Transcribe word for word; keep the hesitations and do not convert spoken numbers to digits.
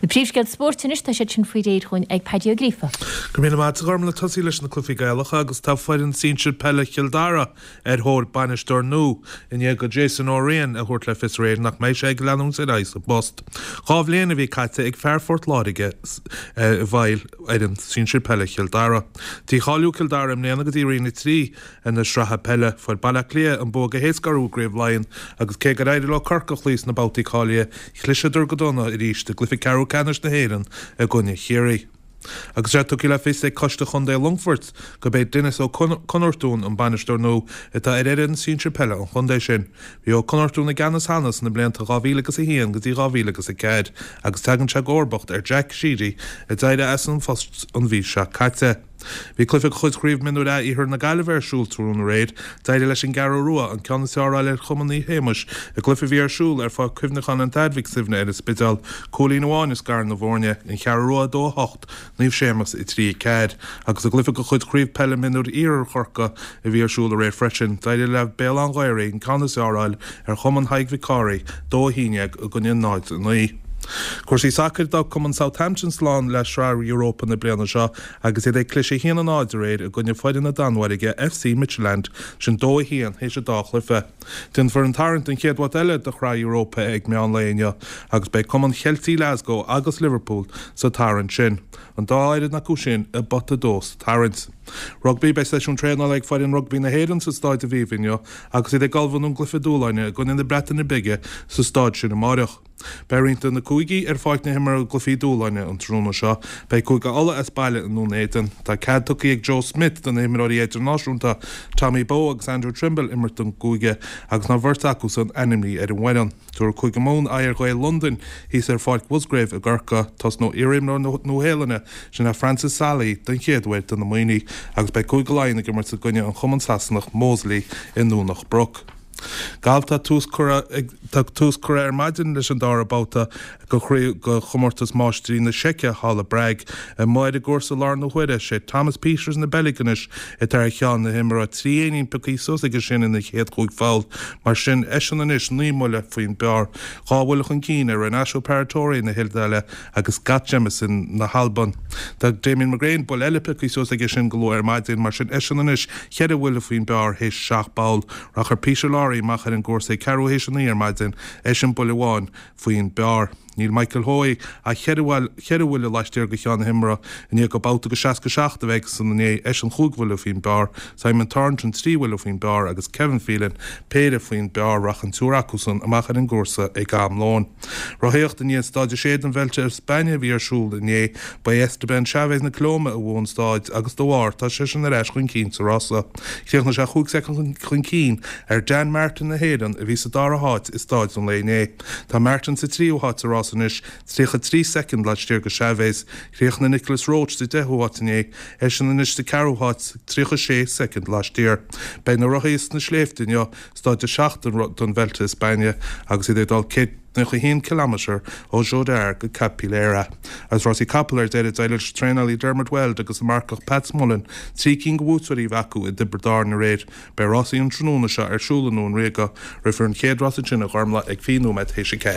Na príomhscéalta spóirt anois tá siad sin faoi réir dhúinn ag Paddy Ó Gríofa. Go míle maith a Ghormfhlaith tosaí leis na cluichí Gaelacha agus tá foireann sinsir peile Chill Dara ar thóir bainisteoir nua i ndiaidh do Jason Ó Riain a thabhairt le fios aréir nach mbeidh sé ag leanúint ar aghaidh sa bpost. Dhá bhliain a bhí caite ag fear Phort Láirge i bhfeighil fhoireann sinsir peile Chill Dara. Dícháiliú Cill Dara i mbliana go dtí Roinn a trí na sraithe peile fuair Baile Átha Cliath an bua go héasca orthu i gCraobh Laighean agus cé gur éirigh leo Corcaigh a chloí sna babhtaí cáilithe chliseadar go dona arís i gcluiche ceathrú ceannais na hÉireann i gcoinne Chiarraí. Agus sé tugtha le fios ag Coiste Chontae Longfoirt gurb é Denis Ó Conartún an bainisteoir nua atá ar fhoireann sinsir peile an chontae sin. Bhí Ó Conartún i gceannas cheana sna blianta dhá mhíle agus a haon go dtí dhá mhíle agus a ceathair agus tagann sé i gcomharbacht ar Jack Sheedy a d'éirigh as an phost an mhí seo caite. Bhí cluiche de chuid Chraobh Mionúir A Iarthar na Gaillimhe ar siúl tráthnóna aréir, d'éirigh leis an gCeathrú Rua an ceann is fearr a fháil ar Chumann Naomh Shéamais i gcluiche a bhí ar siúl ar Pháirc Chuimhneacháin an Athar Mhic Suibhne ar an Spidéal, cúilín amháin a scar na foirne, an Cheathrú Rua a dó a hocht, Naomh Séamas a trí a ceathair, agus i gcluiche de chuid Chraobh Peile Mionúir Iarthar Chorcaí a bhí ar siúl aréir freisin, d'éirigh le Béal Átha an Ghaorthaidh an ceann is fearr a fháil ar Chumann Thaidhg Mhic Cárthaigh, dó a haon déag i gcoinne náid a naoi. Cúrsaí sacair d'fhág Cumann Southampton slán le Sraith Europa na bliana seo agus iad ag cliseadh a haon a náid aréir i gcoinne foireann na Danmhairge FC Midtjylland sin dó a haon théis an dá chluiche. Déanfar an tarraingt don chéad bhabhta eile de Shraith Europa ag meán lae inniu agus beidh Cumann Cheiltigh Glasgow agus Liverpool sa tarraingt sin. An dá fhoireann acu sin i bpota a dó sa tarraingt. Rugbaí Beidh seisiún traenála ag foireann rugbaí na hÉireann sa Stáid Aviva inniu agus iad ag ullmhú don gcluiche dúshláin i gcoinne na Breataine Bige sa stáid sin amárach. Beidh roinnt de na cúigí ar pháirc na himeartha i gcluichí dúshláin an tráthnóna seo. Beidh Cúige Uladh as baile i nDún Éideann. Tá cead tugtha ag Joe Schmidt do na himreoirí idirnáisiúnta Tommy Bowe agus Andrew Trimble imirt don gcúige agus an bheirt acusan ainmnithe ar an bhfoireann. Tabharfaidh Cúige Mumhan aghaidh ar Ghaeil Londain thíos ar Pháirc Musgrave i gCorcaigh. Tosnóidh iarimreoir na Nua-Shéalainne sin é Francis Saili den chéad uair do na Muimhnigh agus beidh Cúige Laighean ag imirt i gcoinne an chumann Sasanach Moseley i nDomhnach Broc. Galf tá tús curtha tá tús curtha ar maidin leis an dara babhta de chomórtas máistrí na Seice thall i bPrág. Amuigh ar an gcúrsa láthair na huaire sé Thomas Pieters na Beilge anois atá ar cheann na himeartha trí éinín pioctha suas aige sin ina chéad chúig pholl mar sin eisean anois naoi mbuille faoin bpar dhá bhuille chun cinn ar Renato Paratore na hIodáile agus Scott Jamieson na hAlban. Tá Damien McGrane buille eile pioctha suas aige sin go luath ar maidin mar sin eisean anois ceithre bhuille faoin bpar théis seacht bpoll rachaidh Peter Lawrie amach ar an gcúrsa ag ceathrú théis a naoi ar maidin eisean buille amháin faoin bpar. Níl Michael Hoey ach ceithre bhuille laistiar de cheann na himeartha i ndiaidh babhta de seasca seacht a bheith aigesan inné eisean cúig bhuille faoin bpar, Simon Thornton trí bhuille faoin bpar agus Kevin Phelan péire faoin bpar rachaidh an triúr acusan amach ar an gcúrsa ag am lóin. Rothaíocht i ndiaidh stáid a sé den Vuelta a España a bhí ar siúl inné ba é Esteban Chaves na Colóime a bhuaigh an stáid agus dá bharr tá seisean ar ais chun cinn sa rása. Chríochnaigh sé chúig soicind chun cinn ar Dan Martin na hÉireann a bhí sa dara háit i stáid an lae inné. Tá Martin sa tríú háit sa rás anois tríocha trí soicind laistiar de Chaves, Chríochnaigh Nicholas Roche sa deichiú háit inné, eisean anois sa ceathrú háit tríocha sé soicind laistiar. Beidh na rothaí sna sléibhte inniu, stáid a seacht den Vuelta a España agus iad ag dul céad nócha haon ciliméadar ó Jódar go Capileira. Agus rásaí capall ar deireadh d'éirigh leis an traenálaí Dermot Weld agus an marcach Pat Smullen trí cinn de bhuaiteoirí a bheith acu i dTiobraid Árann aréir. Beidh rásaí an tráthnóna seo ar siúl i nDún Ríoga. Rithfear an chéad rás ansin a Ghormfhlaith ag fiche nóiméad théis a ceathair.